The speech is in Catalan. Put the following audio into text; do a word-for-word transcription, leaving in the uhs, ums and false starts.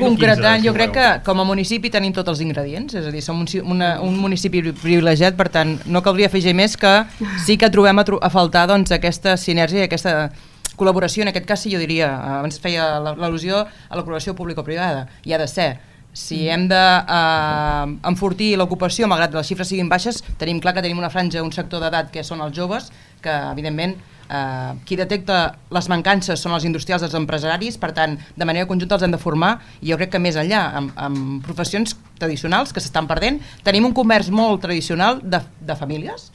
concretant, jo crec que com a municipi tenim tots els ingredients, és a dir, som un, una, un municipi privilegiat, per tant, no caldria afegir més que sí que trobem a, tro a faltar doncs, aquesta sinergia i aquesta col·laboració, en aquest cas sí jo diria, abans feia l'al·lusió a la col·laboració público-privada, hi ha de ser. Si hem d'enfortir de, eh, l'ocupació, malgrat que les xifres siguin baixes, tenim clar que tenim una franja, un sector d'edat que són els joves, que evidentment eh, qui detecta les mancances són els industrials, els empresaris, per tant, de manera conjunta els hem de formar, i jo crec que més enllà, amb, amb professions tradicionals que s'estan perdent, tenim un comerç molt tradicional de, de famílies,